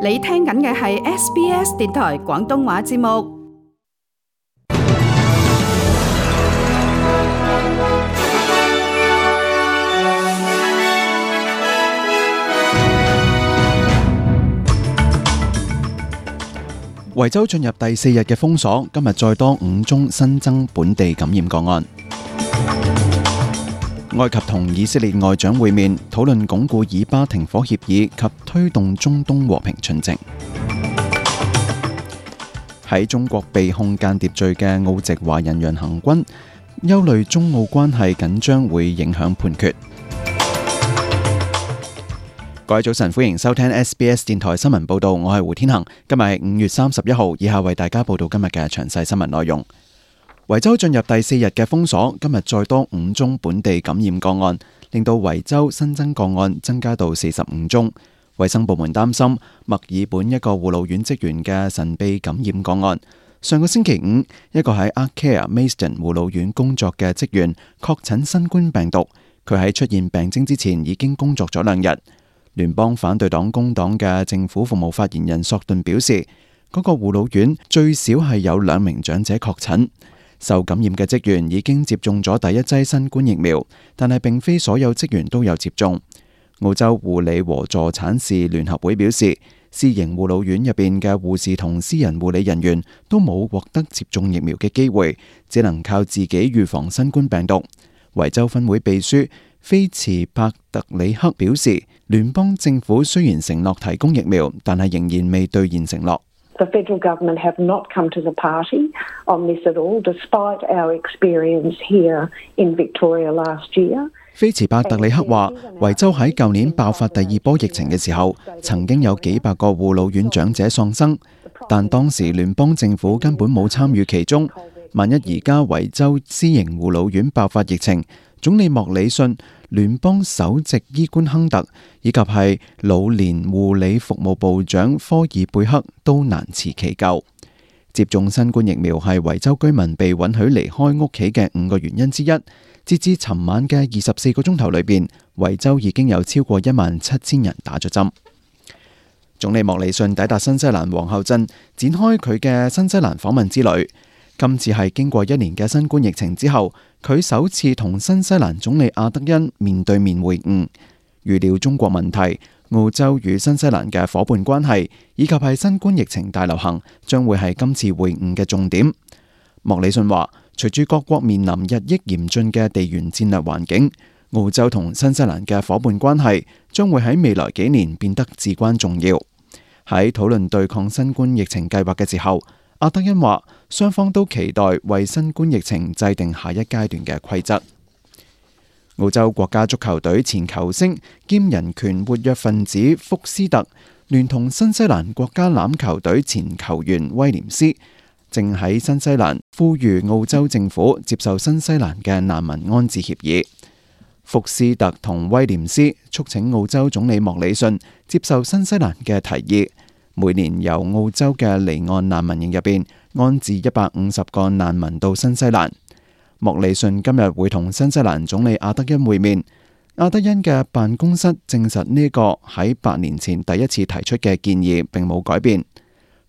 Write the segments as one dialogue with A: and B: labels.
A: 你聽緊嘅係 SBS 電台廣東話節目。
B: 維州進入第4日嘅封鎖，今日再多5宗新增本地感染個案。埃及同以色列外長會面，討論鞏固以巴停火協議及推動中東和平進程。喺中國被控間諜罪嘅澳籍華人楊恒軍，憂慮中澳關係緊張會影響判決。各位早晨，歡迎收聽 SBS 電台新聞報道，我係胡天恒。今日係5月31號，以下為大家報道今日嘅詳細新聞內容。維州進入第4日嘅封鎖，今日再多5宗本地感染個案，令到維州新增個案增加到45宗。衛生部門擔心墨爾本一個護老院職員嘅神秘感染個案。上個星期五，一個喺 Arcare Maidstone 護老院工作嘅職員確診新冠病毒，佢喺出現病徵之前已經工作咗2日。聯邦反對黨工黨嘅政府服務發言人索頓表示，嗰個護老院最少係有2名長者確診。受感染嘅職員已經接種咗第1劑新冠疫苗，但係並非所有職員都有接種。澳洲護理和助產士聯合會表示，私營護老院入邊嘅護士同私人護理人員都冇獲得接種疫苗嘅機會，只能靠自己預防新冠病毒。維州分會秘書菲茨帕特里克表示，聯邦政府雖然承諾提供疫苗，但係仍然未兌現承諾。
C: The federal government have not come to the party on this at all, despite our experience here in Victoria last year.
B: 菲茨帕特里克話，維州喺舊年爆發第2波疫情嘅時候，曾經有幾百個護老院長者喪生，但當時聯邦政府根本冇參與其中。萬一而家維州私營護老院爆發疫情，總理莫里遜、聯邦首席醫官亨特以及係老年護理服務部長科爾貝克都難辭其咎。接種新冠疫苗係維州居民被允許離開屋企嘅5個原因之一。截至尋晚嘅24個鐘頭裏邊，維州已經有超過17000人打咗針。總理莫里遜抵達新西蘭皇后鎮，展開佢嘅新西蘭訪問之旅。今次係經過1年嘅新冠疫情之後，佢首次同新西蘭總理阿德恩面對面會晤。預料中國問題、澳洲與新西蘭嘅伙伴關係，以及係新冠疫情大流行，將會係今次會晤嘅重點。莫里遜話，隨住各國面臨日益嚴峻嘅地緣戰略環境，澳洲同新西蘭嘅伙伴關係將會喺未來幾年變得至關重要。喺討論對抗新冠疫情計劃嘅時候，阿德恩話，雙方都期待為新冠疫情制定下一階段嘅規則。澳洲國家足球隊前球星兼人權活躍分子福斯特，聯同新西蘭國家欖球隊前球員威廉斯，正喺新西蘭呼籲澳洲政府接受新西蘭嘅難民安置協議。福斯特同威廉斯促請澳洲總理莫里遜接受新西蘭嘅提議，每年由澳洲嘅離岸難民營入邊安置150個難民到新西蘭。莫里遜今日會同新西蘭總理阿德恩會面。阿德恩嘅辦公室證實呢個喺8年前第一次提出嘅建議並冇改變。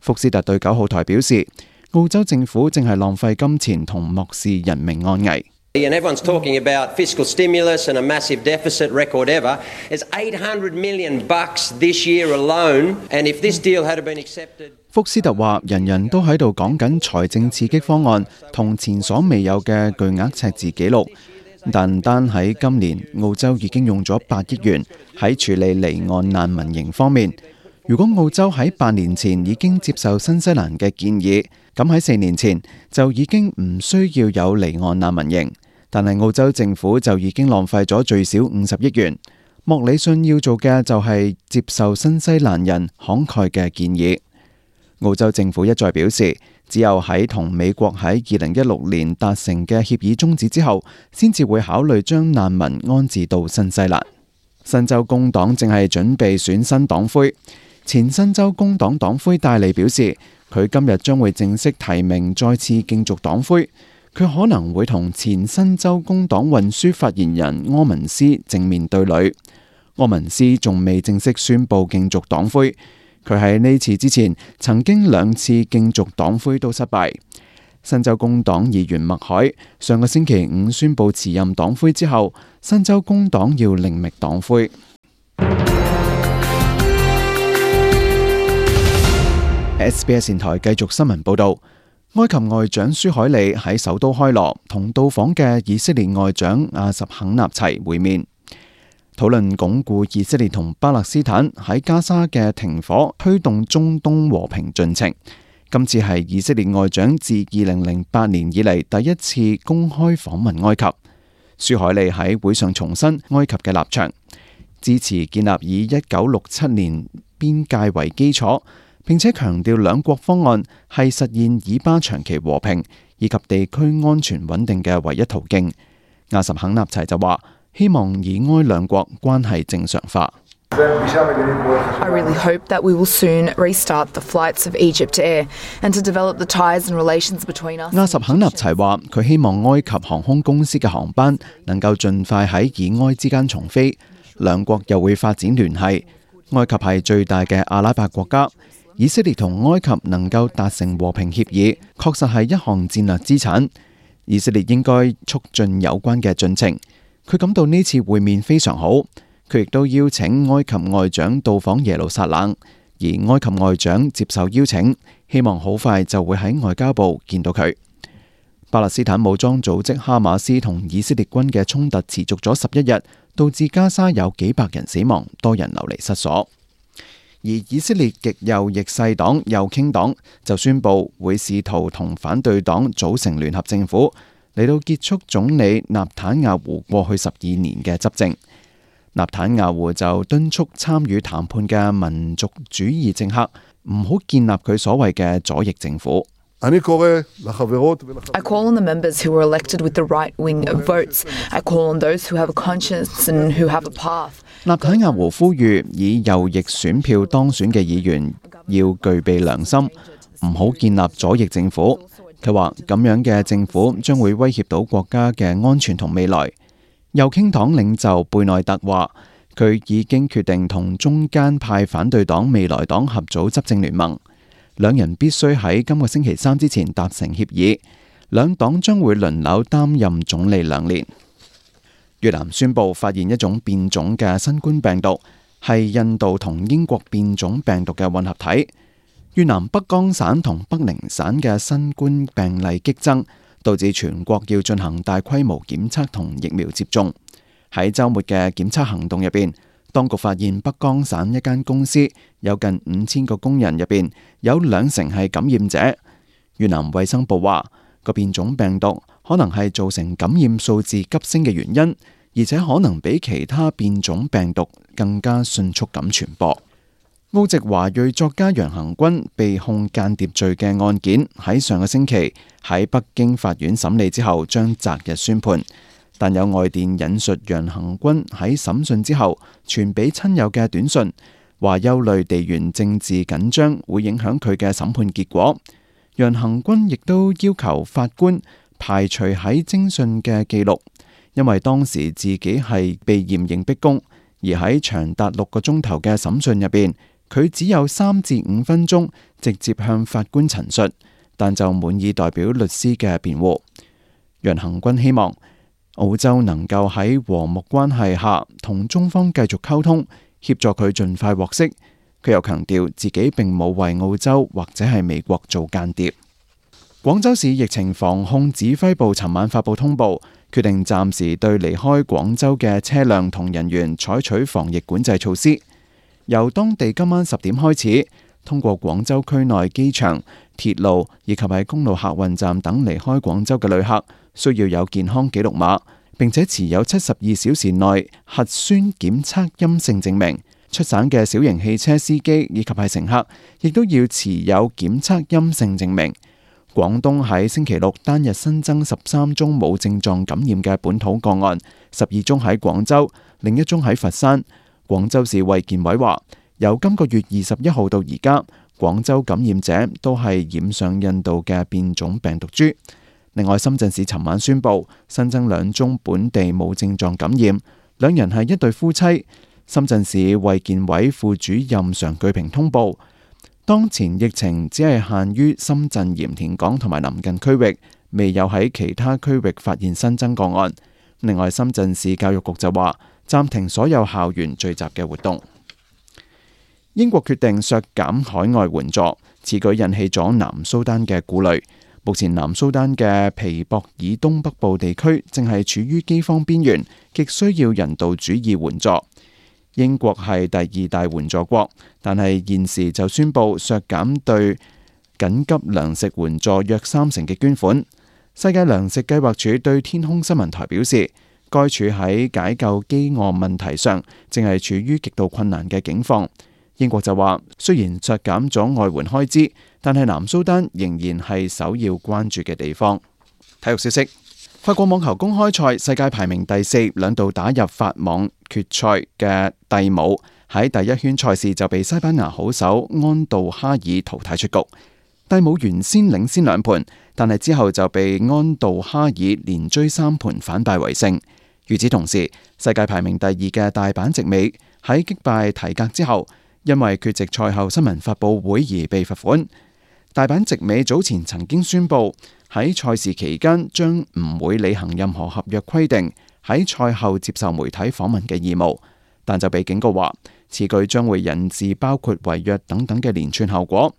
B: 福斯特對9號台表示，澳洲政府正係浪費金錢同漠視人命安危。
D: And everyone's talking about fiscal stimulus and a massive deficit record ever. It's $800 million this year alone. And if this deal had been accepted,
B: 福斯特話，人人都喺度講緊財政刺激方案同前所未有嘅巨額赤字紀錄，但單喺今年，澳洲已經用咗8億元喺處理離岸難民營方面。如果澳洲喺8年前已經接受新西蘭嘅建議，咁喺4年前就已經唔需要有離岸難民營。但係澳洲政府就已經浪費咗最少50億元。莫里遜要做嘅就係接受新西蘭人慷慨嘅建議。澳洲政府一再表示，只有喺同美國喺2016年達成嘅協議終止之後，先至會考慮將難民安置到新西蘭。新州工黨正係準備選新黨魁。前新州工黨黨魁戴利表示，佢今日將會正式提名再次競逐黨魁。佢可能會同前新州工黨運輸發言人柯文斯正面對壘。柯文斯仲未正式宣布競逐黨魁，佢喺呢次之前曾經2次競逐黨魁都失敗。新州工黨議員麥凱上個星期5宣布辭任黨魁之後，新州工黨要另覓黨魁。SBS 電台繼續新聞報導，埃及外長舒海利喺首都開羅同到訪嘅以色列外長亞什肯納齊會面，討論鞏固以色列同巴勒斯坦喺加沙嘅停火，推動中東和平進程。今次係以色列外長自2008年以嚟第一次公開訪問埃及。舒海利喺會上重申埃及嘅立場，支持建立以1967年邊界為基礎，並且強調兩國方案係實現以巴長期和平以及地區安全穩定嘅唯一途徑。亞什肯納齊就話，希望以埃兩國關係正常化。
E: I really hope that we will soon restart the flights of Egypt Air and to develop the ties and relations between us.
B: 亞什肯納齊話，佢希望埃及航空公司嘅航班能夠盡快喺以埃之間重飛，兩國又會發展聯繫。埃及係最大嘅阿拉伯國家，以色列同埃及能夠達成和平協議，確實係一項戰略資產。以色列應該促進有關嘅進程。佢感到呢次會面非常好。佢亦都邀請埃及外長到訪耶路撒冷，而埃及外長接受邀請，希望好快就會喺外交部見到佢。巴勒斯坦武裝組織哈馬斯同以色列軍嘅衝突持續咗11日，導致加沙有幾百人死亡，多人流離失所。而以色列極右翼勢黨右傾黨就宣布會試圖同反對黨組成聯合政府，嚟到結束總理納坦亞胡過去12年嘅執政。納坦亞胡就敦促參與談判嘅民族主義政客唔好建立佢所謂嘅左翼政府。
E: I call on the members who were elected with the right-wing votes. I call on those who have a conscience and who have a path.
B: 納坦亞胡呼籲以右翼選票當選嘅議員要具備良心，唔好建立左翼政府。佢話咁樣嘅政府將會威脅到國家嘅安全同未來。右傾黨領袖貝內特話，佢已經決定同中間派反對黨未來黨合組執政聯盟，兩人必須喺今個星期3之前達成協議。兩黨將會輪流擔任總理2年。越南宣布發現一種變種嘅新冠病毒，係印度同英國變種病毒嘅混合體。越南北江省同北寧省嘅新冠病例激增，導致全國要進行大規模檢測同疫苗接種。喺週末嘅檢測行動入邊，當局發現北江省一間公司有近5000個工人入邊有20%係感染者。越南衛生部話，個變種病毒可能係造成感染數字急升嘅原因，而且可能比其他變種病毒更加迅速咁傳播。澳籍華裔作家楊恆均被控間諜罪嘅案件喺上個星期喺北京法院審理之後將擇日宣判，但有外電引述楊恆均喺審訊之後傳俾親友嘅短信，話憂慮地緣政治緊張會影響佢嘅審判結果。楊恆均亦都要求法官排除喺偵訊嘅記錄，因為當時自己係被嚴刑逼供，而喺長達6個鐘頭嘅審訊入邊，佢只有3至5分鐘直接向法官陳述，但就滿意代表律師嘅辯護。楊恆均希望澳洲能夠喺和睦關係下同中方繼續溝通，協助佢盡快獲釋。佢又強調自己並冇為澳洲或者係美國做間諜。廣州市疫情防控指揮部尋晚發布通報，決定暫時對離開廣州嘅車輛同人員採取防疫管制措施。由當地今晚10點開始，通過廣州區內機場、鐵路以及喺公路客運站等離開廣州嘅旅客，需要有健康記錄碼，並且持有72小時內核酸檢測陰性證明。出省嘅小型汽車司機以及係乘客，亦都要持有檢測陰性證明。廣東喺星期六單日新增13宗冇症狀感染嘅本土個案，12宗喺廣州，另1宗喺佛山。廣州市衛健委話，由今個月21號到而家，廣州感染者都係染上印度嘅變種病毒株。另外，深圳市尋晚宣布新增2宗本地冇症狀感染，2人係一對夫妻。深圳市衛健委副主任常巨平通報，當前疫情只係限於深圳鹽田港同埋鄰近區域，未有喺其他區域發現新增個案。另外，深圳市教育局就話暫停所有校園聚集嘅活動。英國決定削減海外援助，此舉引起咗南蘇丹嘅顧慮。目前南蘇丹嘅皮博爾東北部地區正係處於饑荒邊緣，極需要人道主義援助。英國係第二大援助國，但係現時就宣布削減對緊急糧食援助約30%嘅捐款。世界糧食計劃署對天空新聞台表示，該署喺解救饑餓問題上正係處於極度困難嘅境況。英國就話，雖然削減咗外援開支，但係南蘇丹仍然係首要關注嘅地方。體育消息，法國網球公開賽世界排名第4，兩度打入法網決賽嘅蒂姆喺第一圈賽事就被西班牙好手安道哈爾淘汰出局。蒂姆原先領先2盤，但係之後就被安道哈爾連追3盤反敗為勝。與此同時，世界排名第2嘅大阪直美喺擊敗提格之後，因為缺席賽後新聞發佈會而被罰款。大阪直美早前曾經宣布喺賽事期間將唔會履行任何合約規定喺賽後接受媒體訪問嘅義務，但就被警告話此舉將會引致包括違約等等嘅連串後果。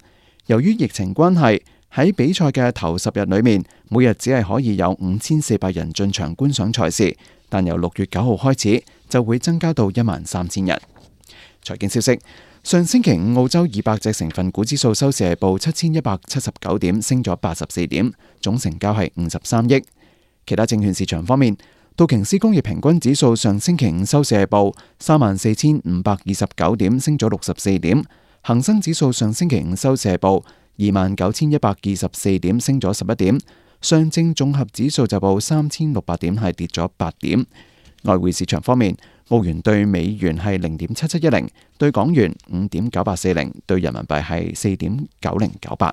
B: 由於疫情關係，喺比賽嘅頭10日裏面，每日只係可以有5400人進場觀賞賽事，但由6月9號開始就會增加到13000人。財經消息，上星期五澳洲200隻成分股指數收市係報7179點，升咗84點，總成交係53億。其他證券市場方面，道瓊斯工業平均指數上星期五收市係報34529點，升咗64點。恒生指數上星期五收市係報29124點，升咗11點。上證綜合指數就報3600點，係跌咗8點。外匯市場方面，澳元對美元係0.7710，對港元5.9840，對人民幣係4.9098。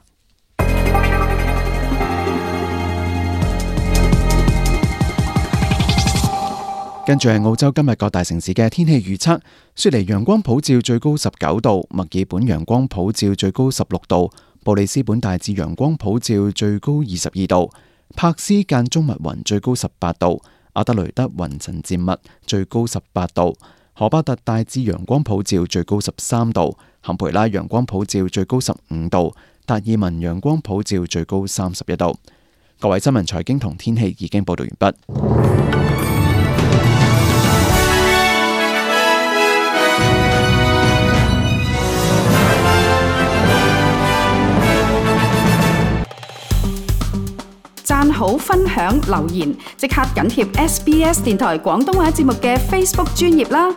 B: 跟住係澳洲今日各大城市嘅天氣預測：雪梨陽光普照，最高19度；墨爾本陽光普照，最高16度；布里斯本大致陽光普照，最高22度；柏斯間中密雲，最高18度；阿德雷德雲層漸密，最高18度；荷巴特大致陽光普照，最高13度；坎培拉陽光普照，最高15度；達爾文陽光普照，最高31度。各位新聞財經同天氣已經報道完畢。
A: 讚好、分享、留言，即刻緊貼SBS 電台廣東話節目嘅 Facebook 專頁啦！